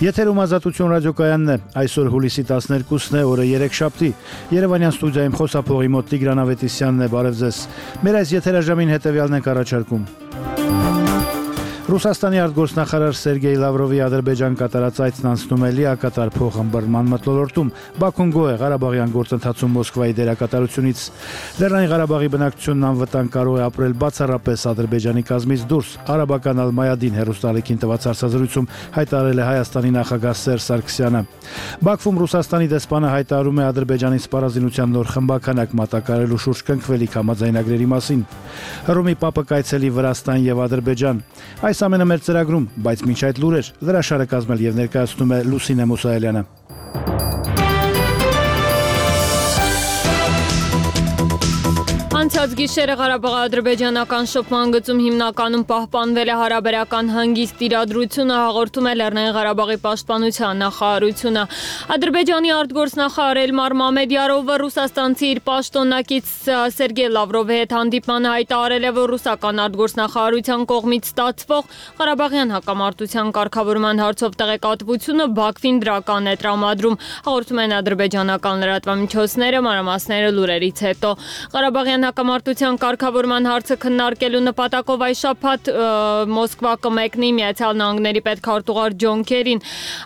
Եթերում Ազատություն ռադիոկայանն է, այսօր հուլիսի 12-ն է, օրը 3-շաբթի, Երևանյան ստուդիայում խոսափողի մոտ Տիգրան Ավետիսյանն է, բարև ձեզ, մեր այս եթերաժամին հետևյալն ենք առաջարկում. Ռուսաստանի արտգործնախարար Սերգեյ Լավրովի Ադրբեջան կատարած այցն անցնում է լիակատար փոխըմբռնման մթնոլորտում, Բաքուն գոհ է Ղարաբաղյան գործընթացում Մոսկվայի դերակատարությունից, Լեռնային Ղարաբաղի բնակչությունն անվտանգ կարող է ապրել բացառապես Ադրբեջանի կազմից դուրս, Արաբական Ալ-Մայադին հեռուստաալիքին տված հարցազրույցում հայտարարել է Հայաստանի նախագահ Սերժ Սարգսյանը։ Բաքվում Ռուսաստանի դեսպանը հայտարարում է Ադրբեջանի սպառազինության նոր խմբականակ մատակարարելու շուրջ կնքվելիք համաձայնագրերի մասին։ Հռոմի Պապը կայցելի Վրաստան եւ Ադրբեջան։ Այս ամենը մեր ծրագրում, բայց մինչ այդ լուրեր, լրաշարը կազմել եւ ներկայացնում է Լուսինե Մուսայելյանը։ Անցած գիշերը Ղարաբաղ-ադրբեջանական շփման գծում հիմնականում պահպանվել է հարաբերական հանգիստ իրադրությունը, հաղորդում է Լեռնային Ղարաբաղի պաշտպանության նախարարությունը։ Ադրբեջանի արտգործնախարար Էլմար Մամեդյարովը ռուսաստանցի իր պաշտոնակից Սերգեյ Լավրովի հետ հանդիպմանը հայտարարել է, որ ռուսական արտգործնախարարության կողմից ստացվող Ղարաբաղյան հակամարտության կարգավորման հարցով տեղեկատվությունը Բաքվին դրական է տրամադրում, հաղորդում են ադրբեջանական լրատվամիջոցները, մանրամասները լուրերից հետո։ Ղարաբաղյան հակամարտության կարգավորման հարցը քննարկելու նպատակով այս շաբաթ Մոսկվա կմեկնի Միացյալ Նահանգների պետքարտուղար Ջոն Քերին։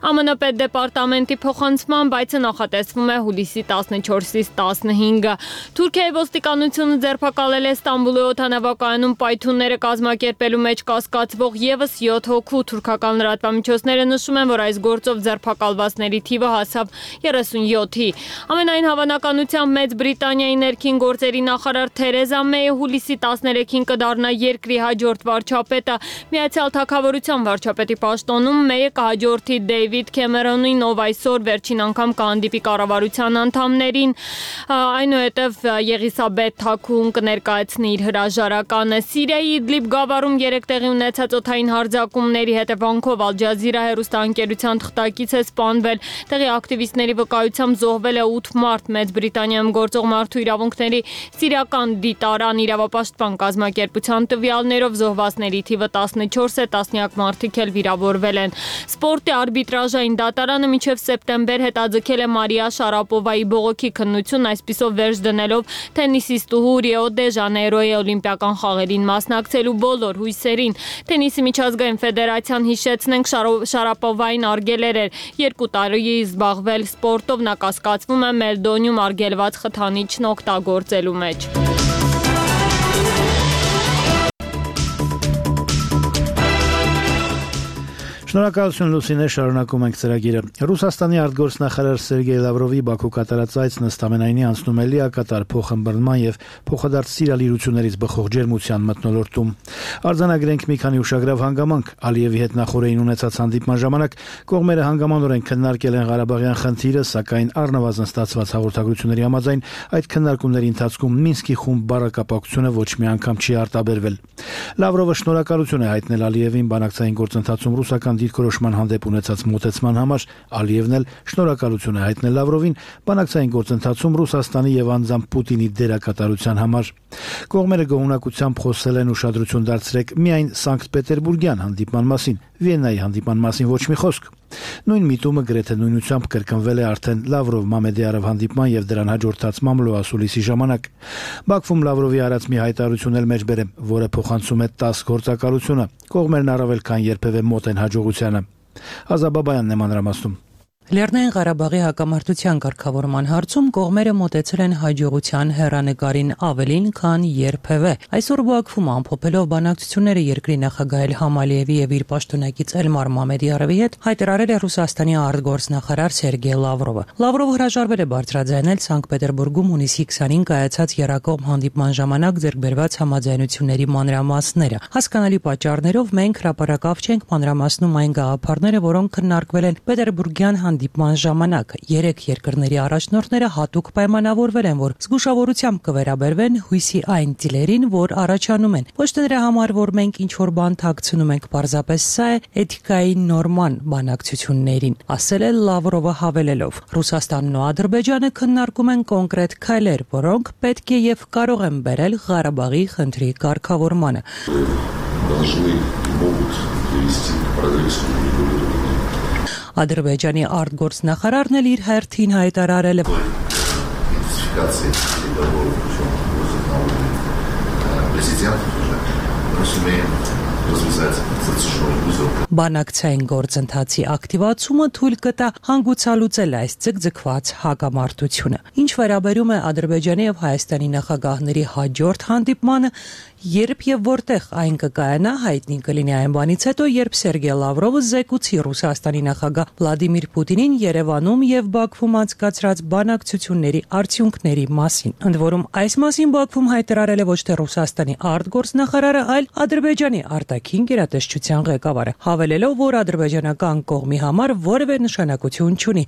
ԱՄՆ պետդեպարտամենտի փոխանցմամբ այցը նախատեսվում է հուլիսի 14-ից 15-ը։ Թուրքիայի ոստիկանությունը ձերբակալել է Ստամբուլի օդանավակայանում պայթյունները կազմակերպելու մեջ կասկածվող ևս 7 հոգու։ Թուրքական լրատվամիջոցները նշում են, որ այս գործով ձերբակալվածների թիվը հասավ 37-ի։ Ամենայն հավանականությամբ Մեծ Բրիտանիայի ներքին գործերի նախարար Թերեզա Մեյը հուլիսի 13-ին կդառնա երկրի հաջորդ վարչապետը։ Միացյալ Թագավորության վարչապետի պաշտոնում Մեյը կհաջորդի Դեյվիդ Քեմերոնին, ով այսօր վերջին անգամ կհանդիպի կառավարության անդամներին։ Այնուհետև Եղիսաբեթ Թաքուն կներկայացնի իր հրաժարականը։ Սիրիայի Իդլիբ գավառում 3 տեղի ունեցած օդային հարձակումների հետևանքով Ալ Ջազիրա հեռուստաընկերության թղթակից է սպանվել։ Տեղի ակտիվիստների վկայությամբ զոհվել է 8 մարդ։ Մեծ Բրիտանիայում գործող մարդու իրավունքների Սիրիական դիտարան իրավապաշտպան կազմակերպության տվյալներով զոհվածների թիվը 14 է, տասնյակ մարդիկ էլ վիրավորվել են։ Սպորտի արբիտրաժային դատարանը մինչև սեպտեմբեր հետաձգել է Մարիա Շարապովայի բողոքի քննություն, այսպիսով վերջ դնելով թենիսիստուհու Ռիո դե Ժանեյրոյի օլիմպիական խաղերին մասնակցելու բոլոր հույսերին։ Թենիսի միջազգային ֆեդերացիան, հիշեցնենք, Շարապովային արգելել էր 2 տարի զբաղվել սպորտով, նա կասկածվում է Մելդոնիում արգելված խթանիչն օգտագործելու մեջ։ Շնորհակալություն Լուսինե, շարունակում ենք ծրագիրը։ Ռուսաստանի արտգործնախարար Սերգեյ Լավրովի Բաքու կատարած այցն ըստ ամենայնի անցնում է լիակատար փոխըմբռնման եւ փոխադարձ սիրալիրություններից բխող ջերմության մթնոլորտում։ Արձանագրենք մի քանի ուշագրավ հանգամանք։ Ալիևի հետ նախորդին ունեցած հանդիպման ժամանակ կողմերը հանգամանորեն քննարկել են Ղարաբաղյան խնդիրը, սակայն առնվազն ստացված հաղորդագրությունների համաձայն այդ քննարկումների ընթացքում Մինսկի խումբ բառակապակցությունը ոչ մի անգամ չի արտաբերվել։ Լավրովը շնորհակալություն է հայտնել Ալիևին բանակցային գործընթացում ռուսական դիրքորոշման հանդեպ ունեցած մոտեցման համար, Ալիևն էլ շնորհակալություն է հայտնել Լավրովին բանակցային գործընթացում Ռուսաստանի եւ անձամբ Պուտինի դերակատարության համար։ Կողմերը գոհունակությամբ խոսել են, ուշադրություն դարձրեք միայն Սանկտ Պետերբուրգյան հանդիպման մասին, Վիեննայի հանդիպման մասին ոչ մի խոսք։ Նույն միտումը գրեթե նույնությամբ կրկնվել է արդեն Լավրով-Մամեդյարով հանդիպման եւ դրան հաջորդած մամլոասուլիսի ժամանակ։ Բաքվում Լավրովի արած մի հայտարարություն էլ մեջբերեմ, որը փոխանցում է 10 գործակալությունը։ Կողմերն առավել քան երբևէ մոտ են հաջողությանը։ Ազաբաբայանն է մանրամասնում։ Լեռնային Ղարաբաղի հակամարտության կարգավորման հարցում կողմերը մոտեցել են հաջողության հեռանկարին ավելին, քան երբևէ։ Այսօր Բաքվում ամփոփելով բանակցությունները երկրի նախագահ Իլհամ Ալիևի եւ իր պաշտոնակից Էլմար Մամեդյարովի հետ հայտարարել է Ռուսաստանի արտգործնախարար Սերգեյ Լավրովը։ Լավրովը հրաժարվել է բարձրաձայնել Սանկտ Պետերբուրգում հունիսի 20-ին կայացած երակողմ հանդիպման ժամանակ ձեռքբերված համաձայնությունների մանրամասները։ Հասկանալի պատճառներով մենք հրապարակավ չենք մանրամասնում այն գաղափարները, որոնք քննարկվել են Պետերբուրգյան հանդիպման ժամանակ 3 երկրների առաջնորդները հատուկ պայմանավորվել են, որ զգուշավորությամբ կվերաբերվեն հույսի այն ծիլերին, որ առաջանում են։ Ոչ թե նրա համար, որ մենք ինչ-որ բան թաքցնում ենք, պարզապես սա է էթիկայի նորման բանակցություններին, ասել է Լավրովը հավելելով։ Ռուսաստանն ու Ադրբեջանը քննարկում են կոնկրետ քայլեր, որոնք պետք է եւ կարող են բերել Ղարաբաղի խնդրի կարգավորմանը։ Ադրբեջանի արտգործնախարարն էլ իր հերթին հայտարարել է. Բանակցային գործընթացի ակտիվացումը թույլ կտա հանգուցալուծել այս ձգձգված հակամարտությունը։ Ինչ վերաբերում է Ադրբեջանի եւ Հայաստանի նախագահների հաջորդ հանդիպմանը, երբ եւ որտեղ այն կկայանա, հայտնի կլինի այն բանից հետո, երբ Սերգեյ Լավրովը զեկուցի Ռուսաստանի նախագահ Վլադիմիր Պուտինին Երևանում եւ Բաքվում անցկացրած բանակցությունների արդյունքների մասին։ Ընդ որում, այս մասին Բաքվում հայտարարել է ոչ թե Ռուսաստանի արտգործնախարարը, այլ Ադրբեջանի արտաքին գերատեսչության ղեկավարը, հավելելով, որ ադրբեջանական կողմի համար որևէ նշանակություն չունի,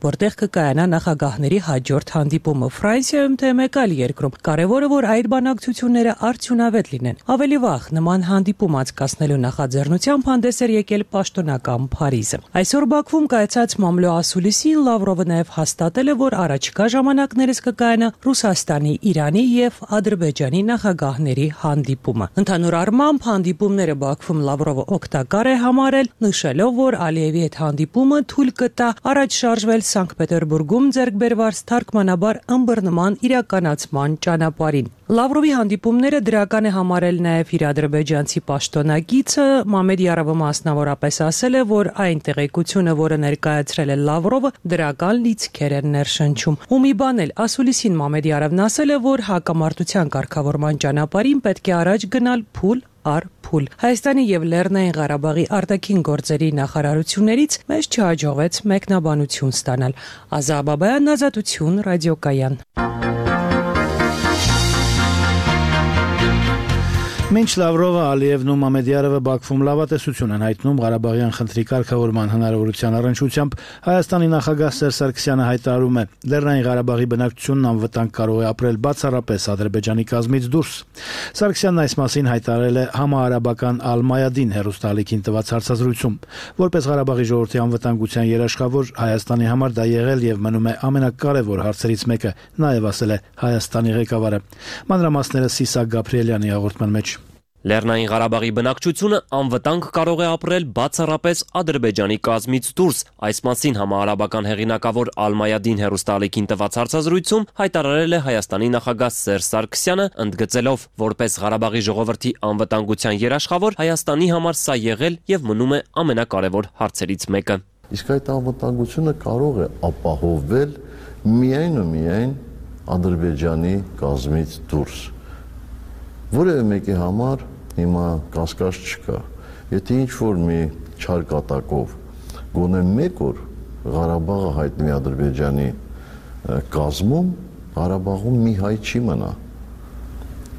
որտեղ կկայանա նախագահների հաջորդ հանդիպումը Ֆրանսիայում թե մեկ այլ երկրում։ Կարևորը, որ այդ բանակցությունները արդյունավետ լինեն։ Ավելի վաղ նման հանդիպում անցկացնելու նախաձեռնությամբ հանդես էր եկել պաշտոնական Փարիզը։ Այսօր Բաքվում կայացած մամլո ասուլիսին Լավրովը նաև հաստատել է, որ առաջիկա ժամանակներս կկայանա Ռուսաստանի, Իրանի եւ Ադրբեջանի նախագահների հանդիպումը։ Ընդհանուր առմամբ հանդիպումները Բաքվում Լավրովը օգտակար է համարել, նշելով, որ Ալիևի հետ հանդիպումը թույլ կտա առաջ շարժվել Սանկտ Պետերբուրգում ձեռք բերված թարգմանաբար ըմբռնման իրականացման ճանապարհին։ Լավրովի հանդիպումները դրական է համարել նաև իր ադրբեջանցի պաշտոնակիցը Մամեդ Յարովը մասնավորապես ասել է, որ այն տեղեկությունը, որը ներկայացրել է Լավրովը, դրական լիցքեր են ներշնչում։ Ու մի բան էլ ասուլիսին Մամեդ Յարովն ասել է, որ հակամարտության կարգավորման ճանապարհին պետք է առաջ գնալ փուլ առ փուլ։ Հայաստանի եւ Լեռնային Ղարաբաղի արտաքին գործերի նախարարություններից մեզ չհաջողվեց մեկնաբանություն ստանալ։ Ազա Բաբայան, Ազատություն, ռադիոկայան։ Մինչ Լավրովը, Ալիևն ու Մամեդյարովը Բաքվում լավատեսություն են հայտնում Ղարաբաղյան խնդրի կարգավորման հնարավորության առնչությամբ, Հայաստանի նախագահ Սերժ Սարգսյանը հայտարարում է, Լեռնային Ղարաբաղի բնակչությունն անվտանգ կարող է ապրել բացառապես Ադրբեջանի կազմից դուրս։ Սարգսյանն այս մասին հայտարարել է համահարաբական Ալ-Մայադին հեռուստաալիքին տված հարցազրույցում։ Որպես Ղարաբաղի ժողովրդի անվտանգության երաշխավոր, Հայաստանի համար դա եղել եւ մնում է ամենակարևոր հարցերից մեկը, նաեւ ասել է Հայաստանի ղեկավարը։ Մանրամասները Սիսակ Գաբրիելյանի հաղորդման մեջ։ Լեռնային Ղարաբաղի բնակչությունը անվտանգ կարող է ապրել բացառապես Ադրբեջանի կազմից դուրս։ Այս մասին համահարաբական հեղինակավոր Ալ-Մայադին հեռուստաալիքին տված հարցազրույցում հայտարարել է Հայաստանի նախագահ Սերժ Սարգսյանը, ընդգծելով, որպես Ղարաբաղի ժողովրդի անվտանգության երաշխավոր, Հայաստանի համար սա եղել եւ մնում է ամենակարևոր հարցերից մեկը։ Իսկ այդ անվտանգությունը կարող է ապահովվել միայն ու միայն Ադրբեջանի կազմից դուրս։ Որևէ մեկի համար հիմա կասկած չկա։ Եթե ինչ-որ մի չար կատակով գոնե մեկ օր Ղարաբաղը հայտնվի Ադրբեջանի կազմում, Ղարաբաղում մի հայ չի մնա։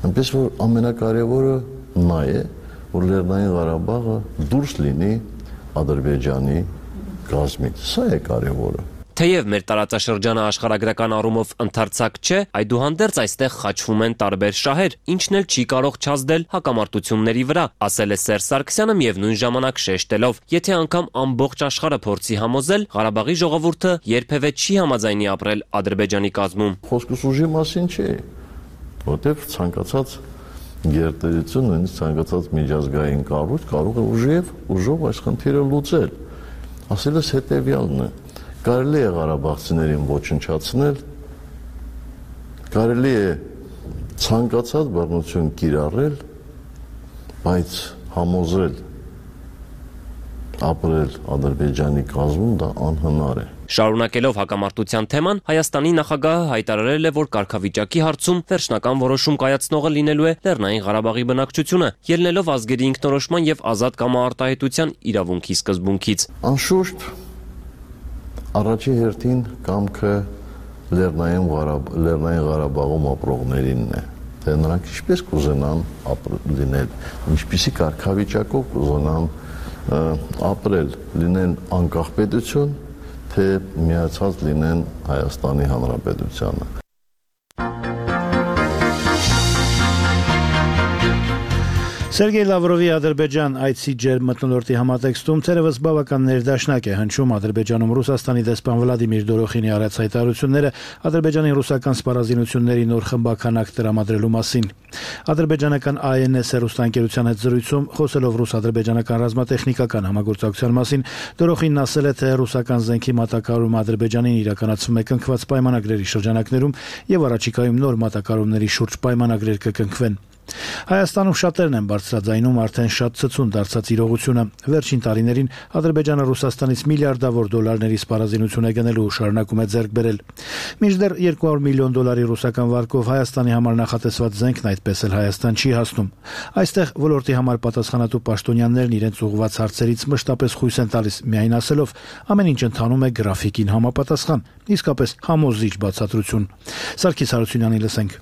Այնպես որ ամենակարևորը նա է, որ Լեռնային Ղարաբաղը դուրս լինի Ադրբեջանի կազմից։ Սա է կարևորը։ Թեև մեր տարածաշրջանը աշխարհագրական առումով ընդարձակ չէ, այդուհանդերձ այստեղ խաչվում են տարբեր շահեր, ինչն էլ չի կարող չազդել հակամարտությունների վրա, ասել է Սերժ Սարգսյանը միևնույն ժամանակ շեշտելով, եթե անգամ ամբողջ աշխարհը փորձի համոզել, Ղարաբաղի ժողովուրդը երբևէ չի համաձայնի ապրել Ադրբեջանի կազմում։ Խոսքս ուժի մասին չէ, որտեղ ցանկացած գերտերություն, նույնիսկ ցանկացած միջազգային կառույց կարող է ուժով այս խնդիրը լուծել։ Ասելս հետևյալն է. Կարելի է ղարաբաղցիներին ոչնչացնել, կարելի է ցանկացած բռնություն կիրառել, բայց համոզել ապրել Ադրբեջանի կազմում դա անհնար է։ Շարունակելով հակամարտության թեման, Հայաստանի նախագահը հայտարարել է, որ կարգավիճակի հարցում վերջնական որոշում կայացնողը լինելու է Լեռնային Ղարաբաղի բնակչությունը, ելնելով ազգերի ինքնորոշման եւ ազատ կամարտահայտության իրավունքի սկզբունքից։ Անշուշտ առաջի հերթին կամքը Լեռնային Ղարաբաղում ապրողներինն է, թե նրանք ինչպես կուզենան լինել, ինչպիսի կարգավիճակով կուզենան ապրել, լինեն անկախ պետություն, թե միացած լինեն Հայաստանի Սերգեյ Լավրովի Ադրբեջան այցի ջերմմթնոլորտի համատեքստում թերևս բավական ներդաշնակ է հնչում Ադրբեջանում Ռուսաստանի դեսպան Վլադիմիր Դորոխինի արած հայտարարությունները Ադրբեջանի ռուսական սպառազինությունների նոր խմբականակ տրամադրելու մասին։ Ադրբեջանական ANS հեռուստաընկերության հետ զրույցում խոսելով ռուս-ադրբեջանական ռազմատեխնիկական համագործակցության մասին Դորոխինն ասել է, թե ռուսական զենքի մատակարարումը Ադրբեջանին իրականացվում է կնքված պայմանագրերի շրջանակներում եւ առաջիկայում նոր մատակարարումների շուրջ պայմանագրեր կկնքվեն։ Հայաստանում շատերն են բարձրաձայնում արդեն շատ ցցուն դարձած իրողությունը։ Վերջին տարիներին Ադրբեջանը Ռուսաստանից միլիարդավոր դոլարների սպառազինություն է գնելու ու շարունակում է ձեռք բերել։ Մինչդեռ $200 միլիոն ռուսական վարկով Հայաստանի համար նախատեսված զենքն այդպես էլ Հայաստան չի հասնում։ Այստեղ ոլորտի համար պատասխանատու պաշտոնյաներն իրենց ուղղված հարցերից մշտապես խույս են տալիս, միայն ասելով ամեն ինչ ընթանում է գրաֆիկին համապատասխան, իսկապես համոզիչ բացատրություն։ Սարգիս Հարությունյանի լսենք։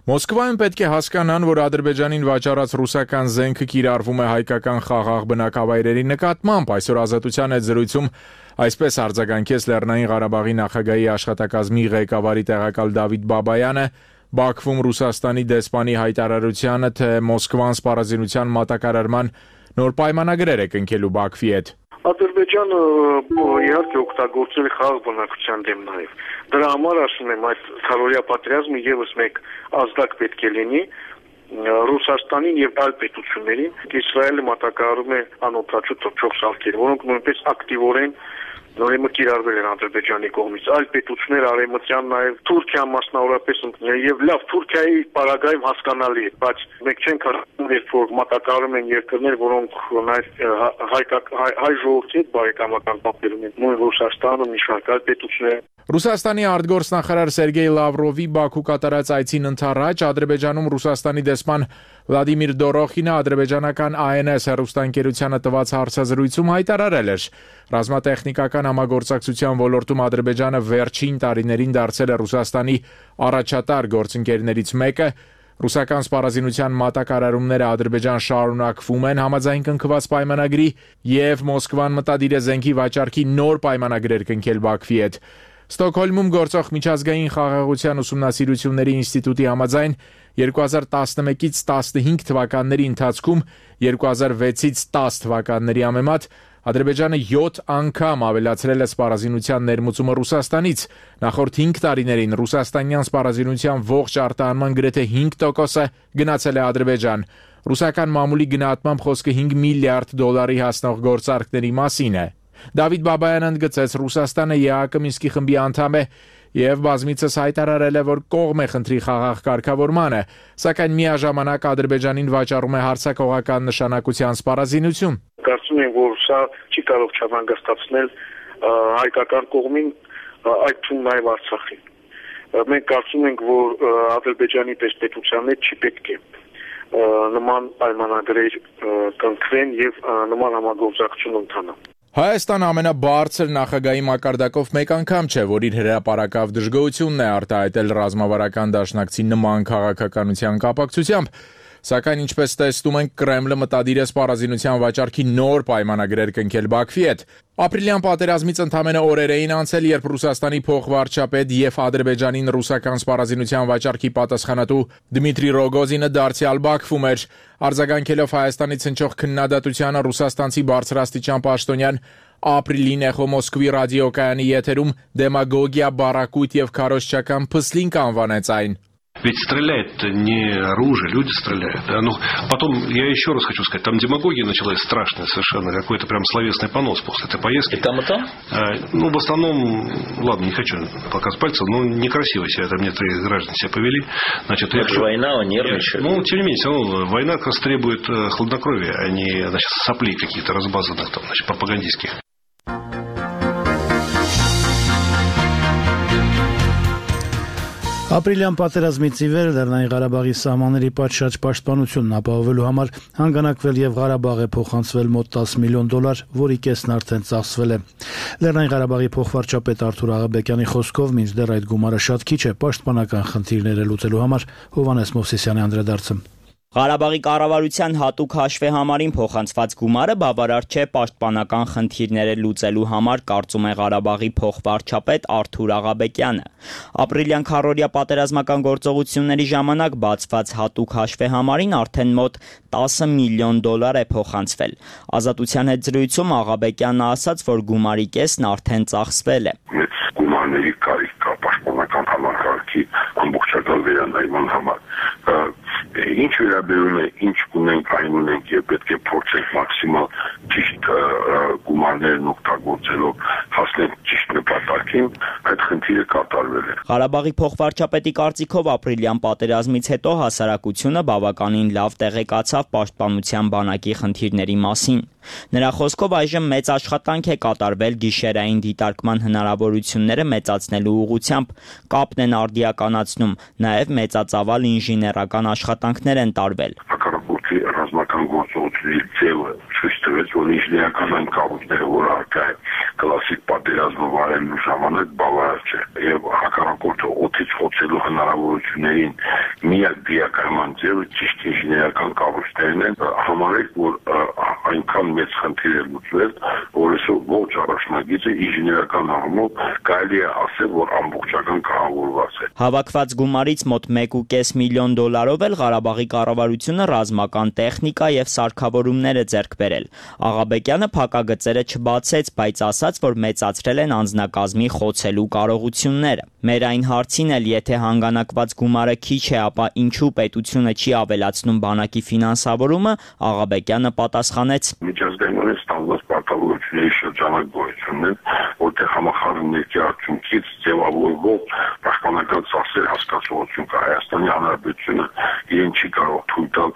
Մոսկվայում պետք է հասկանան, որ Ադրբեջանին վաճառած ռուսական զենքը կիրառվում է հայկական խաղաղ բնակավայրերի նկատմամբ։ Այսօր Ազատության հետ զրույցում այսպես արձագանքեց Լեռնային Ղարաբաղի նախագահի աշխատակազմի ղեկավարի տեղակալ Դավիթ Բաբայանը Բաքվում Ռուսաստանի դեսպանի հայտարարությանը, թե Մոսկվան սպառազինության մատակարարման նոր պայմանագրեր է կնքելու Բաքվի հետ։ Ադրբեջանը իհարկե օգտագործել է խաղաղ բնակչության դեմ նաև։ Դրա համար ասում եմ, այդ քարորիա պատերազմը եւս մեկ ազդակ պետք է լինի Ռուսաստանին եւ այլ պետություններին։ Իսրայելը մատակարարում է անօթաչու թռչող սարքեր, որոնք նույնպես ակտիվորեն նորմալ կիրառվել են Ադրբեջանի կողմից։ Այլ պետություններ արևմտյան նաև Թուրքիան մասնավորապես եւ լավ Թուրքիայի պարագայում հասկանալի է, բայց մենք չենք հարցնում, երբ որ մատակարարում են երկրներ, որոնք հայ ժողովրդի հետ բարեկամական կապեր ունեն, նույն Ռուսաստանը, մի շարք այլ պետություններ։ Ռուսաստանի արտգործնախարար Սերգեյ Լավրովի Բաքու կատարած այցին ընթառաջ Ադրբեջանում Ռուսաստանի դեսպան Վլադիմիր Դորոխինը ադրբեջանական ANS հեռուստաընկերությանը տված հարցազրույցում հայտարարել էր. ռազմատեխնիկական համագործակցության ոլորտում Ադրբեջանը վերջին տարիներին դարձել է Ռուսաստանի առաջատար գործընկերներից մեկը։ Ռուսական սպառազինության մատակարարումները Ադրբեջան շարունակվում են համաձայն կնքված պայմանագրի եւ Մոսկվան մտադիր է զենքի վաճառքի նոր պայմանագրեր կնքել Բաքվի հետ։ Ստոկհոլմում գործող միջազգային խաղաղության ուսումնասիրությունների ինստիտուտի համաձայն 2011-ից 15 թվականների ընթացքում 2006-ից 10 թվականների համեմատ Ադրբեջանը 7 անգամ ավելացրել է սպառազինության ներմուծումը Ռուսաստանից։ Նախորդ 5 տարիներին ռուսաստանյան սպառազինության ողջ արտահանման գրեթե 5% գնացել է Ադրբեջան։ Ռուսական մամուլի գնահատմամբ խոսքը $5 միլիարդ հասնող գործարքների մասին է։ Դավիթ Բաբայանը ընդգծեց, Ռուսաստանը ԵԱՀԿ Մինսկի խմբի անդամ է եւ բազմիցս հայտարարել է, որ կողմ է խնդրի խաղաղ կարգավորմանը, սակայն միաժամանակ Ադրբեջանին վաճառում է հարձակողական նշանակության սպառազինություն։ Կարծում եմ, որ սա չի կարող չհանգստացնել հայկական կողմին, այդ թվում նաև Արցախին։ Մենք կարծում ենք, որ Ադրբեջանի պետության հետ չի պետք է նման պայմանագրեր կնքվեն եւ նման համագործակցություն ընթանա։ Հայաստանը ամենաբարձր նախագահի մակարդակով մեկ անգամ չէ, որ իր հրապարակավ դժգոհությունն է արտահայտել ռազմավարական դաշնակցի նման քաղաքականության կապակցությամբ, սակայն ինչպես տեսնում ենք, Կրեմլը մտադիր է սպառազինության վաճառքի նոր պայմանագրեր կնքել Բաքվի հետ։ Ապրիլյան պատերազմից ընդամենը օրեր էին անցել, երբ Ռուսաստանի փոխվարչապետ եւ Ադրբեջանին ռուսական սպառազինության վաճառքի պատասխանատու Դմիտրի Ռոգոզինը դարձյալ Բաքվում էր։ Արձագանքելով Հայաստանից հնչող քննադատությանը ռուսաստանցի բարձրաստիճան паштոնյան ապրիլին Էխո Մոսկվի ռադիոկայանի եթերում դեմագոգիա, բարակույտ եւ քարոզչական փսլինք անվանեց այն։ Ведь стреляет не оружие, люди стреляют. Да? Ну, потом, я еще раз хочу сказать, там демагогия началась страшная совершенно, какой-то прям словесный понос после этой поездки. И там, и там? Ну, в основном, ладно, не хочу показывать пальцем, но некрасиво себя там некоторые граждане себя повели. Значит, это же война, нервничают. Ну, тем не менее, все равно война как раз требует хладнокровия, а не, значит, соплей каких-то разбазанных, там, значит, пропагандистских. Ապրիլյան պատերազմից ի վեր Լեռնային Ղարաբաղի սահմանների պատշաճ պաշտպանությունն ապահովելու համար հանգանակվել եւ Ղարաբաղ է փոխանցվել մոտ $10 միլիոն, որի կեսն արդեն ծախսվել է։ Լեռնային Ղարաբաղի փոխվարչապետ Արթուր Աղաբեկյանի խոսքով մինչդեռ այդ գումարը շատ քիչ է պաշտպանական խնդիրները լուծելու համար։ Հովհաննես Մովսիսյանի անդրադարձը։ Ղարաբաղի կառավարության հատուկ հաշվեհամարին փոխանցված գումարը բավարար չէ պաշտպանական խնդիրները լուծելու համար, կարծում է Ղարաբաղի փոխվարչապետ Արթուր Աղաբեկյանը։ Ապրիլյան քառօրյա պատերազմական գործողությունների ժամանակ բացված հատուկ հաշվեհամարին արդեն մոտ 10 միլիոն դոլար է փոխանցվել։ Ազատության հետ զրույցում Աղաբեկյանը ասաց, որ գումարի կեսն արդեն ծախսվել է։ Մեծ գումարների կարիք կա պաշտպանական համակարգի ամբողջական վերանայման համար։ Ինչ վերաբերում է, ինչ ունենք, այն ունենք եւ պետք է փորձենք մաքսիմալ ճիշտ գումարներն օգտագործելով հասնել ճիշտ նպատակին, այդ խնդիրը կատարվել է։ Ղարաբաղի փոխվարչապետի կարծիքով ապրիլյան պատերազմից հետո հասարակությունը բավականին լավ տեղեկացավ պաշտպանության բանակի խնդիրների մասին։ Նրա խոսքով այժմ մեծ աշխատանք է կատարվել գիշերային դիտարկման հնարավորությունները մեծացնելու ուղղությամբ, կապն են արդիականացնում, նաև մեծածավալ ինժեներական աշխատանքներ են տարվել։ Հակառակորդի ռազմական գործողությունների ձևը ցույց տվեց, որ ինժեներական այն կառույցները, որ առկա է կլասիկ պատերազմը վարելու ժամանակ բավարար չէ, եւ հակառակորդը օդից խոցելու հնարավորություններին միակ դիակայման ձևը ճիշտ ինժեներական կառույցներն են։ Համարեք, որ այնքան մեծ խնդիր է լուծվել, որ այսօր ողջ առաջնագիծը ինժեներական առումով կարելի է ասել, որ ամբողջական կառավարված է։ Հավաքված գումարից մոտ 1.5 միլիոն դոլարով էլ Ղարաբաղի կառավարությունը ռազմական տեխնիկա եւ սարքավորումներ է ձեռք բերել։ Աղաբեկյանը փակագծերը չբացեց, բայց ասաց, որ մեծացրել են անձնակազմի խոցելու կարողությունները։ Մեր այն հարցին էլ, եթե հանգանակված գումարը քիչ է, ապա ինչու պետությունը չի ավելացնում բանակի ֆինանսավորումը, Աղաբեկյանը պատասխանեց. Միջազգային ստանված պարտավորությունների շրջանակ գոյություն ունեն, որտեղ համախառնների արդյունքից ձևավորվող պաշտպանական ծախսեր հասկացողություն կա։ Հայաստանի Հանրապետությունը իրեն չի կարող թույլ տալ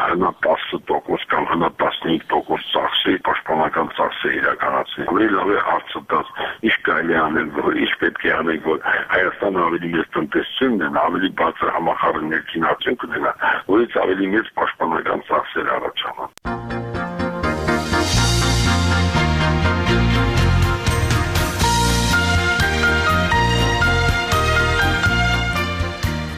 հնա 10% կամ հնա 15% ծախսեր, պաշտպանական ծախսեր իրականացնել։ Ավելի լավ է հարցը տալ, ինչ կարելի է անել, ինչ պետք է անել, որ Հայաստանը ավելի մեծ տնտեսություն ունենա, ավելի բարձր համախառն ներքին արդյունք ունենա, որից ավելի մեծ պաշտպանական ծախսեր առաջանան։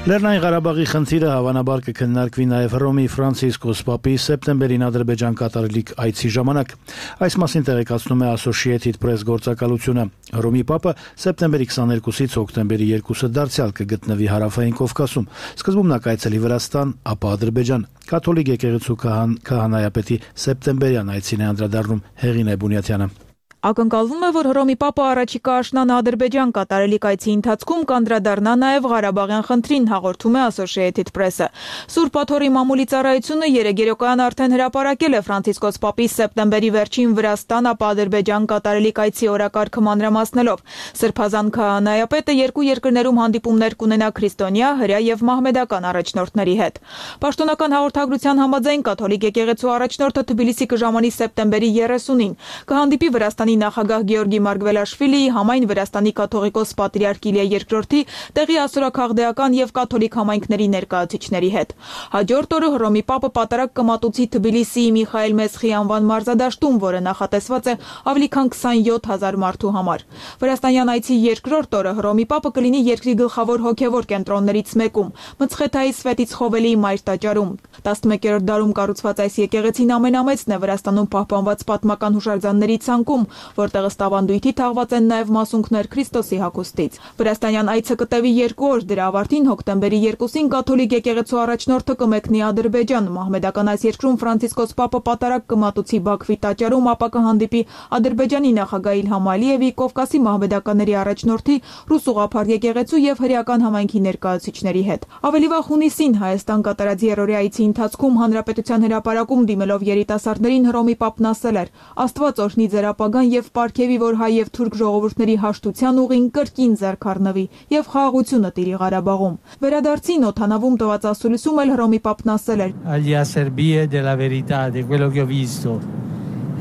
Լեռնային Ղարաբաղի խնդիրը հավանաբար կքննարկվի նաև Հռոմի Ֆրանցիսկոս Պապի սեպտեմբերին Ադրբեջան կատարելիք այցի ժամանակ։ Այս մասին տեղեկացնում է Associated Press գործակալությունը։ Հռոմի Պապը սեպտեմբերի 22-ից հոկտեմբերի 2-ը դարձյալ կգտնվի Հարավային Կովկասում։ Սկզբում նա կայցելի Վրաստան, ապա Ադրբեջան։ Կաթոլիկ եկեղեցու քահանայապետի սեպտեմբերյան այցին է անդրադառնում Հեղինե Բունյաթյանը։ Ակնկալվում է, որ Հռոմի Պապը առաջիկա աշնանը Ադրբեջան կատարելիք այցի ընթացքում կանդրադառնա նաև Ղարաբաղյան խնդրին, հաղորդում է Associated Press-ը։ Սուրբ Աթոռի մամուլի ծառայությունը երեգերոկայան արդեն հրապարակել է Ֆրանցիսկոս Պապի սեպտեմբերի վերջին Վրաստան, ապա Ադրբեջան կատարելիք այցի օրակարգը մանրամասնելով։ Սրբազան քահանայապետը երկու երկրներում հանդիպումներ կունենա քրիստոնյա, հրեա եւ մահմեդական առաջնորդների հետ։ Պաշտոնական հաղորդագրության համաձայն կաթոլիկ եկեղեցու առաջնորդը Թբիլիսի կժամանի սեպտեմբերի 30-ին կհանդիպի Վրաստանի նախագահ Գեորգի Մարգվելաշվիլիի, համայն Վրաստանի կաթողիկոս պատրիարք Իլիա II-ի, տեղի ասորաքաղդեական եւ կաթոլիկ համայնքների ներկայացուցիչների հետ։ Հաջորդ օրը Հռոմի Պապը պատարագ կմատուցի Թբիլիսիի Միխայել Մեսխի անվան մարզադաշտում, որը նախատեսված է ավելի քան 27000 մարդու համար։ Վրաստանյան այցի երկրորդ օրը Հռոմի Պապը կլինի երկրի գլխավոր հոգևոր կենտրոններից մեկում՝ Մցխեթայի Սվետիցխովելի մայր տաճարում։ 11-րդ դարում կառուցված այս եկեղեցին ամենամեծն է Վրաստանում պահպանված պատմական հուշարձանների ցանկում, որտեղ ըստ ավանդույթի թաղված են նաև մասունքներ Քրիստոսի հագուստից։ Վրաստանյան այցը կտևի 2 օր, դրա ավարտին հոկտեմբերի 2-ին կաթոլիկ եկեղեցու առաջնորդը կմեկնի Ադրբեջան, մահմեդական այս երկրում Ֆրանցիսկոս Պապը պատարագ կմատուցի Բաքվի տաճարում, ապա կհանդիպի Ադրբեջանի նախագահ Իլհամ Ալիևի, Կովկասի մահմեդականների առաջնորդի, ռուս ուղղափառ եկեղեցու եւ հրեական համայնքի ներկայացուցիչների հետ։ Ավելի վաղ հունիսին Հայաստան կատարած երրորդի այցի ընթացքում Հանրապետության հրապարակում դիմելով երիտասարդներին Հռոմի Պապն ասել էր. Աստված օրհնի ձեր ապագան եւ պարգևի, որ հայ եւ թուրք ժողովուրդների հաշտության ուղին կրկին ձեռք առնվի եւ խաղաղությունը տիրի Ղարաբաղում։ Վերադարձին օդանավում տված ասուլիսում էլ Հռոմի Պապն ասել էր. Agli acerbi della verità, di quello che ho visto,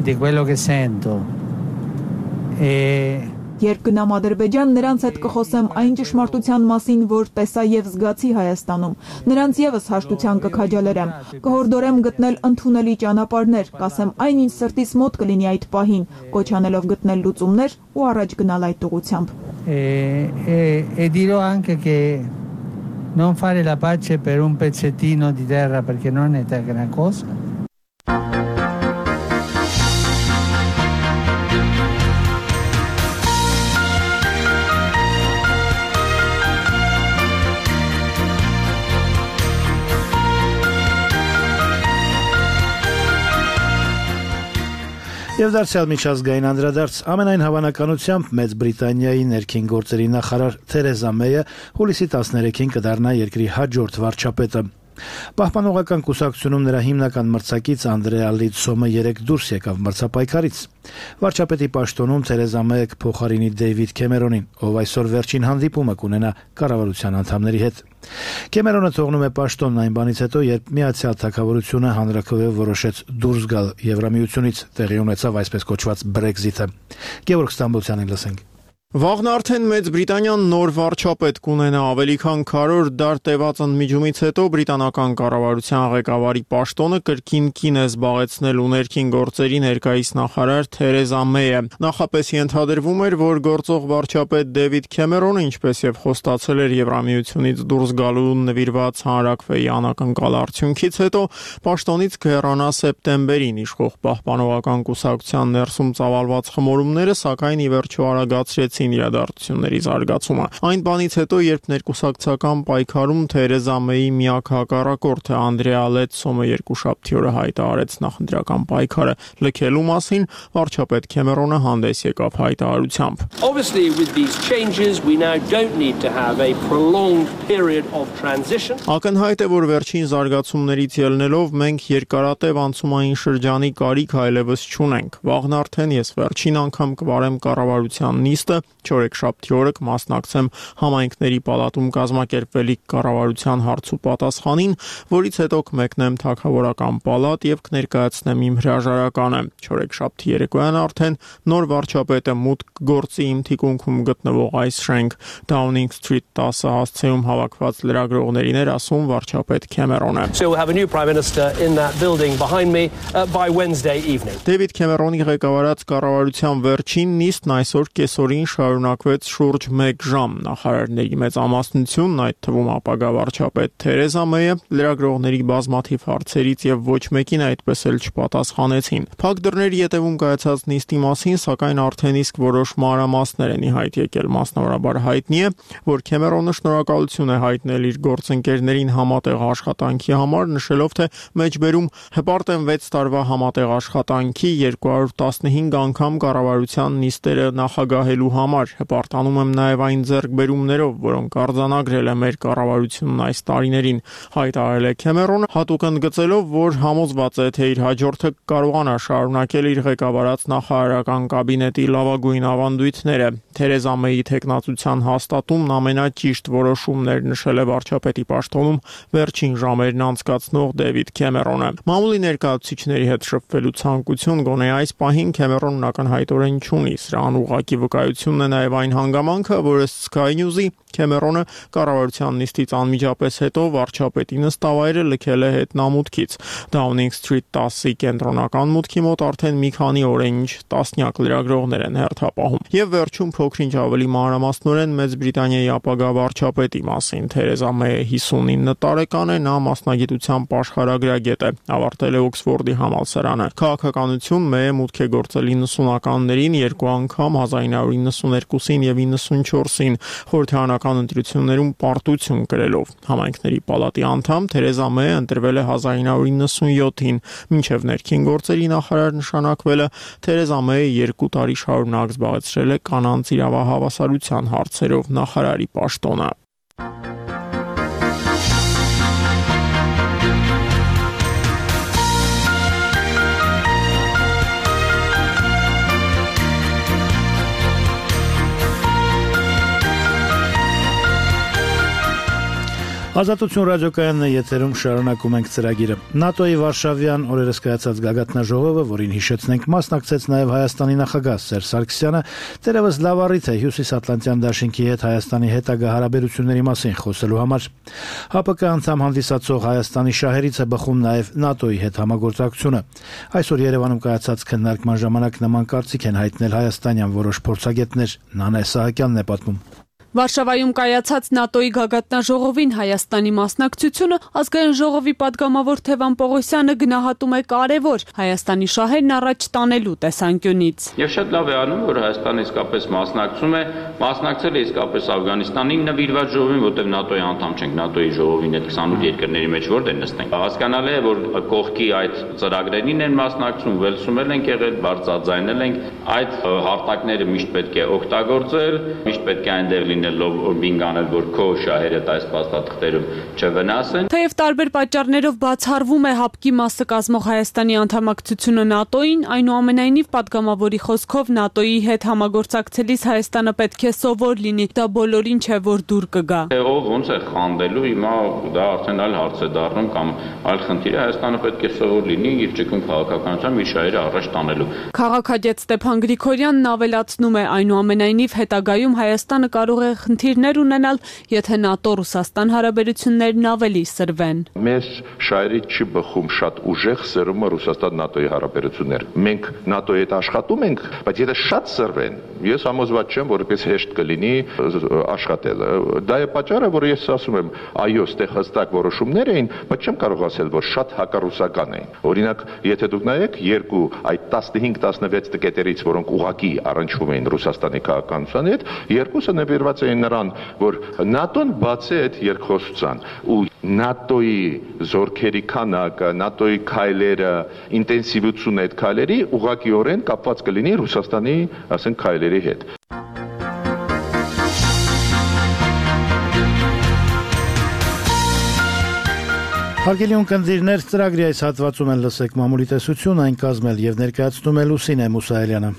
di quello che sento. Երբ գնամ Ադրբեջան, նրանց հետ կխոսեմ այն ճշմարտության մասին, որ տեսա եւ զգացի Հայաստանում։ Նրանց եւս հաշտության կքաջալերեմ։ Կհորդորեմ գտնել ընդունելի ճանապարհներ, կասեմ այն ինչ սրտիս մոտ կլինի այդ պահին, կոչ անելով գտնել լուծումներ ու առաջ գնալ այդ ուղությամբ։ E dirò anche che non fare la pace per un pezzettino di terra perché non è una cosa. Եվ դարձյալ միջազգային անդրադարձ ամենայն հավանականությամբ Մեծ Բրիտանիայի ներքին գործերի նախարար Թերեզա Մեյը հուլիսի 13-ին կդառնա երկրի հաջորդ վարչապետը։ Պահպանողական կուսակցությունում նրա հիմնական մրցակից Անդրեա Լիդսոմը 3 դուրս եկավ մրցապայքարից։ Վարչապետի պաշտոնում Թերեզա Մեյը կփոխարինի Դեյվիդ Քեմերոնին, ով այսօր վերջին հանդիպումը կունենա կառավարության անդամների հետ։ Քեմերոնը թողնում է պաշտոնն այն բանից հետո, երբ Միացյալ Թագավորությունը հանրաքվեով որոշեց դուրս գալ Եվրամիությունից, տեղի ունեցավ այսպես կոչված Brexit-ը։ Գևորգ Ստամբոլցյանին լսենք։ Վաղն արդեն Մեծ Բրիտանիան նոր վարչապետ կունենա ավելի քան 100 դար տևած ընդմիջումից հետո բրիտանական կառավարության ղեկավարի պաշտոնը կրկին կին է զբաղեցնել ու ներքին գործերի ներկայիս նախարար Թերեզա Մեյը։ Նախապես ենթադրվում էր, որ գործող վարչապետ Դեյվիդ Քեմերոնը, ինչպես եւ խոստացել էր Եվրամիությունից դուրս գալու նվիրված հանրաքվեի անակնկալ արդյունքից հետո, պաշտոնից կհեռանա սեպտեմբերին իշխող պահպանողական կուսակցության ներսում ծավալված խմորումները, սակայն ի վերջո արագացրեց իրադարձությունների զարգացումը։ Այն բանից հետո, երբ ներկուսակցական պայքարում Թերեզա Մեյի միակ հակառակորդը Անդրեա Լիդսոմը երկուշաբթի օրը հայտարարեց նախընտրական պայքարը լքելու մասին, վարչապետ Քեմերոնը հանդես եկավ հայտարարությամբ։ Obviously with these changes we now don't need to have a prolonged period of transition. Ակնհայտ է, որ վերջին զարգացումներից ելնելով մենք երկարատև անցումային շրջանի կարիք այլևս չունենք։ Վաղն արդեն ես վերջին անգամ կվարեմ կառավարության նիստը, չորեքշաբթի օրը կմասնակցեմ համայնքների պալատում կազմակերպվելիք կառավարության հարց ու պատասխանին, որից հետո կմեկնեմ թագավորական պալատ եւ կներկայացնեմ իմ հրաժարականը։ Չորեքշաբթի երեկոյան արդեն նոր վարչապետը մուտք գործի իմ թիկունքում գտնվող այս շենք Downing Street 10 հասցեում հավաքված լրագրողներին էր ասում վարչապետ Քեմերոնը։ So we'll have a new prime minister in that building behind me by Wednesday evening. Դեյվիդ Քեմերոնի ղեկավարած կառավարության վերջին նիստն այսօր կեսօրին շարունակվեց շուրջ 1 ժամ։ Նախարարների մեծամասնությունն, այդ թվում ապագա վարչապետ Թերեզա Մեյը, լրագրողների բազմաթիվ հարցերից եւ ոչ մեկին այդպես էլ չպատասխանեցին։ Փակ դռների ետևում կայացած նիստի մասին, սակայն արդեն իսկ որոշ մանրամասներ են ի հայտ եկել։ Մասնավորաբար հայտնի է, որ Քեմերոնը շնորհակալություն է հայտնել իր գործընկերներին համատեղ աշխատանքի համար, նշելով, թե մեջբերում հպարտ են 6 տարվա համատեղ աշխատանքի 215 անգամ կառավարության նիստերը նախագահելու համար։ Հպարտանում եմ նաև այն ձեռքբերումներով, որոնք արձանագրել է մեր կառավարությունն այս տարիներին, հայտարարել է Քեմերոնը, հատուկ ընդգծելով, որ համոզված է, թե իր հաջորդը կարողանա շարունակել իր ղեկավարած նախարարական կաբինետի լավագույն ավանդույթները։ Թերեզա Մեյի թեկնածության հաստատումն ամենաճիշտ որոշումն էր, նշել է վարչապետի պաշտոնում վերջին ժամերն անցկացնող Դեյվիդ Քեմերոնը։ Մամուլի ներկայացուցիչների հետ շփվելու ցանկություն գոնե այս պահին Քեմերոնն ակնհայտորեն չունի։ Սրան ուղղակի վկայությունն է նաև այն հանգամանքը, որ ըստ Sky News-ի Քեմերոնը կառավարության նիստից անմիջապես հետո վարչապետի նստավայրը լքել է հետնամուտքից։ Downing Street 10-ի կենտրոնական մուտքի մոտ արդեն մի քանի օր է ինչ տասնյակ լրագրողներ են հերթապահում։ Եվ վերջում փոքրինչ ավելի մանրամասնորեն Մեծ Բրիտանիայի ապագա վարչապետի մասին։ Թերեզա Մեյը 59 տարեկան է, նա մասնագիտությամբ աշխարհագրագետ է, ավարտել է Օքսֆորդի համալսարանը։ Քաղաքականություն Մեյը մուտք է գործել 90-ականներին 2 անգամ 1992-ին եւ 94-ին խորհրդարանական ընտրություններում պարտություն կրելով։ Համայնքների պալատի անդամ Թերեզա Մեյը ընտրվել է 1997-ին, մինչև ներքին գործերի նախարար նշանակվելը Թերեզա Մեյը 2 տարի շարունակ զբաղեցրել է կանանց իրավահավասարության հարցերով նախարարի պաշտոնը։ Ազատություն ռադիոկայանն է եթերում, շարունակում ենք ծրագիրը։ ՆԱՏՕ-ի Վարշավյան օրերս կայացած գագաթնաժողովը, որին հիշեցնենք, մասնակցեց նաև Հայաստանի նախագահ Սերժ Սարգսյանը, դեռևս լավ առիթ է Հյուսիսատլանտյան դաշինքի հետ Հայաստանի հետագա հարաբերությունների մասին խոսելու համար։ ՀԱՊԿ անդամ հանդիսացող Հայաստանի շահերից է բխում նաև ՆԱՏՕ-ի հետ համագործակցությունը։ Այսօր Երևանում կայացած քննարկման ժամանակ նման կարծիք են հայտնել հայաստանյան որոշ փորձագետներ։ Նանե Սահակյանն է պատմում։ Վարշավայում կայացած ՆԱՏՕ-ի գագաթնաժողովին Հայաստանի մասնակցությունը ազգային ժողովի падգամավոր Թևան Պողոսյանը գնահատում է կարևոր Հայաստանի շահերն առաջ տանելու տեսանկյունից։ Եվ շատ լավ է անում, որ Հայաստանը իսկապես մասնակցում է, մասնակցել է իսկապես Աֆղանստանին նվիրված ժողովին, որտեղ ՆԱՏՕ-ի անդամ չենք, ՆԱՏՕ-ի ժողովին այդ 28 երկրների մեջ որտեղ նստենք։ Հասկանալի է, որ կողքի այդ ծրագրերին են մասնակցում, Վելսում ենք եղել, բարձրաձայնել ենք, այդ հարտակները միշտ պետք է օգտագործել, միշտ պետք է այնտեղ լինելով բինգ անել, որ քո շահերը այս փաստաթղթերում չվնասեն։ Թեև տարբեր պատճառներով բացառվում է ՀԱՊԿ-ի մասը կազմող Հայաստանի անդամակցությունը ՆԱՏՕ-ին, այնուամենայնիվ падգամավորի խոսքով ՆԱՏՕ-ի հետ համագործակցելիս Հայաստանը պետք է սովոր լինի, դա բոլորին չէ, որ դուր կգա։ Ով ոնց է խանդելու, հիմա դա արդեն այլ հարց է դառնում կամ այլ խնդիր է, Հայաստանը պետք է սովոր լինի իր ճկուն քաղաքականությամբ իր շահերը առաջ տանելու։ Քաղաքագետ Ստեփան Գրիգորյանն ավելացնում է, այնուամենայնիվ հետագայում Հայաստանը կարող է խնդիրներ ունենալ, եթե ՆԱՏՕ-Ռուսաստան հարաբերություններն ավելի սրվեն։ Մեր շահերի չի բխում շատ ուժեղ սրումը Ռուսաստան-ՆԱՏՕ-ի հարաբերություններ։ Մենք ՆԱՏՕ-ի հետ աշխատում ենք, բայց եթե շատ սրվեն, ես համոզված չեմ, որ այդպես հեշտ կլինի աշխատել։ Դա է պատճառը, որ ես ասում եմ, այո, ստեղ հստակ որոշումներ էին, բայց չեմ կարող ասել, որ շատ հակառուսական էին։ Օրինակ, եթե դուք նայեք երկու այդ 15-16 տկետերից, որոնք ուղղակի առնչվում էին Ռուսաստանի քաղաքականության հետ, երկուսը նվիրված էին նրան, որ ՆԱՏՕ-ն բացի այդ երկխոսության ու ՆԱՏՕ-ի զորքերի քանակը, ՆԱՏՕ-ի քայլերը, ինտենսիվությունը այդ քայլերի ուղղակիորեն կապված կլինի Ռուսաստանի, ասենք, քայլերի հետ։ Հարգելի ունկնդիրներ, ծրագրի այս հատվածում են լսեք մամուլի տեսություն, այն կազմել եւ ներկայացնում է Լուսինե Մուսայելյանը։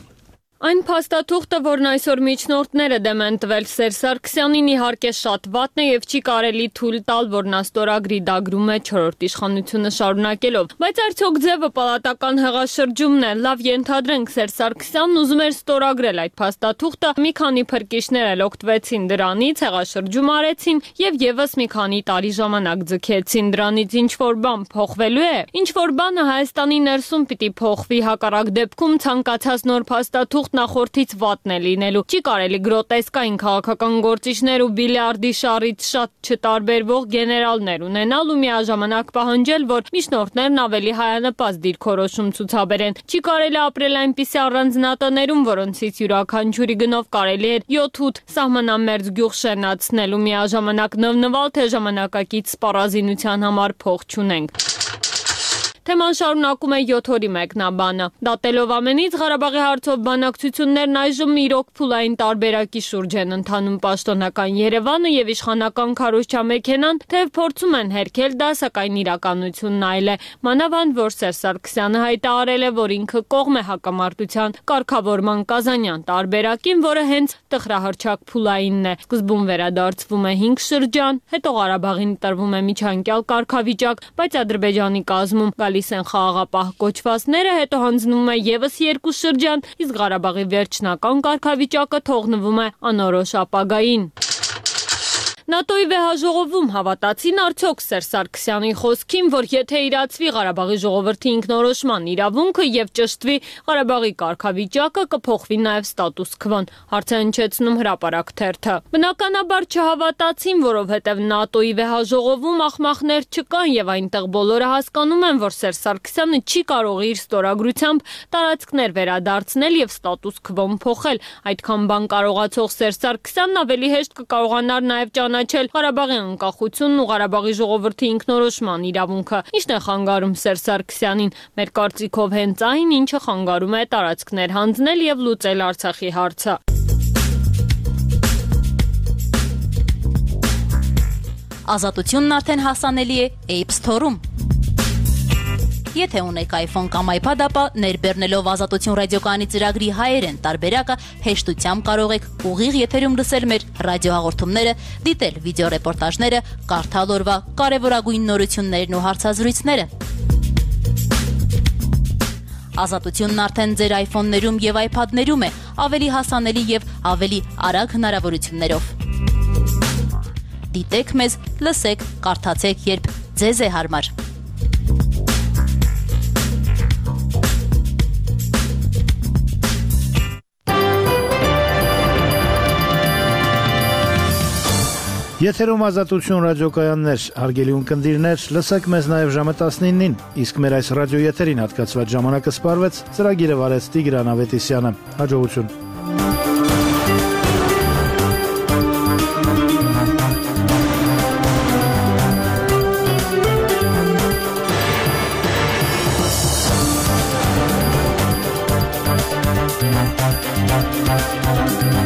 Այն փաստաթուղթը, որն այսօր միջնորդները դեմ են տվել Սերժ Սարգսյանին, իհարկե շատ վատն է եւ չի կարելի թույլ տալ, որ նա ստորագրի դագրում է 4-րդ իշխանությունը շարունակելով։ Բայց արդյոք ձևը պալատական հեղաշրջումն է։ Լավ ենթադրենք, Սերժ Սարգսյանն ուզում էր ստորագրել այդ փաստաթուղթը, մի քանի փրկիչներ էլ օգտվեցին դրանից, հեղաշրջում արեցին եւ եւս մի քանի տարի ժամանակ ձգեցին դրանից։ Ինչ որ բան փոխվելու է, ինչ որ բանը Հայաստանի ներսում պիտի փոխվի, հակառակ դեպքում ցանկացած նոր փաստաթուղթ նախորդից վատն է լինելու։ Չի կարելի գրոտեսկային քաղաքական գործիչներ ու բիլիարդի շարից շատ չտարբերվող գեներալներ ունենալ ու միաժամանակ պահանջել, որ միջնորդներն ավելի հայանպաստ դիրքորոշում ցուցաբերեն։ Չի կարելի ապրել այնպիսի առանձնատներում, որոնցից յուրաքանչյուրի գնով կարելի է 7-8 սահմանամերձ գյուղ շենացնել ու միաժամանակ նվնվալ, թե ժամանակակից սպառազինության համար փող չունենք։ Թեման շարունակում է 7 օրի մեկնաբանը։ Դատելով ամենից Ղարաբաղի հարցով բանակցություններն այժմ իրոք փուլային տարբերակի շուրջ են ընթանում պաշտոնական Երևանը եւ իշխանական քարոզչամեքենան, թեև փորձում են հերքել դա, սակայն իրականությունն այլ է։ Մանավանդ որ Սերժ Սարգսյանը հայտարարել է, որ ինքը կողմ է հակամարտության կարգավորման Կազանյան տարբերակին, որը հենց տխրահռչակ փուլայինն է։ Սկզբում վերադարձվում է 5 շրջան, հետո Ղարաբաղին տրվում է միջանկյալ կարգավիճակ, բայց Ադրբեջանի կազմում գալիս են խաղաղապահ կոչվածները, հետո հանձնվում է եւս 2 շրջան, իսկ Ղարաբաղի վերջնական կարգավիճակը թողնվում է անորոշ ապագային։ ՆԱՏՕ-ի վեհաժողովում հավատացին արդյոք Սերժ Սարգսյանի խոսքին, որ եթե իրացվի Ղարաբաղի ժողովրդի ինքնորոշման իրավունքը եւ ճշտվի Ղարաբաղի կարգավիճակը, կփոխվի նաեւ ստատուս քվոն, հարց է հնչեցնում Հրապարակ թերթը։ Բնականաբար չհավատացին, որովհետեւ ՆԱՏՕ-ի վեհաժողովում ախմախներ չկան եւ այնտեղ բոլորը հասկանում են, որ Սերժ Սարգսյանը չի կարող իր ստորագրությամբ տարածքներ վերադարձնել եւ ստատուս քվոն փոխել։ Այդքան բան կարողացող Սերժ Սարգսյանն ավելի հեշտ կկարողանար նաեւ ճանաչել Ղարաբաղի անկախությունն ու Ղարաբաղի ժողովրդի ինքնորոշման իրավունքը։ Ինչն է խանգարում Սերժ Սարգսյանին։ Մեր կարծիքով հենց այն, ինչը խանգարում է տարածքներ հանձնել եւ լուծել Արցախի հարցը։ Ազատությունն արդեն հասանելի է App Store-ում։ Եթե ունեք iPhone կամ iPad, ապա ներբեռնելով Ազատություն ռադիոկայանի ծրագրի հայերեն տարբերակը հեշտությամբ կարող եք ուղիղ եթերում լսել մեր ռադիոհաղորդումները, դիտել վիդեոռեպորտաժները, կարդալ օրվա կարևորագույն նորություններն ու հարցազրույցները։ Ազատությունն արդեն ձեր iPhone-ներում եւ iPad-ներում է, ավելի հասանելի եւ ավելի արագ հնարավորություններով։ Դիտեք մեզ, լսեք, կարդացեք, երբ ձեզ է հարմար։ Եթերում Ազատություն ռադիոկայաններ, հարգելի ունկնդիրներ, լսեք մեզ նաև ժամը 19-ին, իսկ մեր այս ռադիոեթերին հատկացված ժամանակը սպառվեց, ծրագիրը վարեց Տիգրան Ավետիսյանը։ Հաջողություն։ We'll be right back.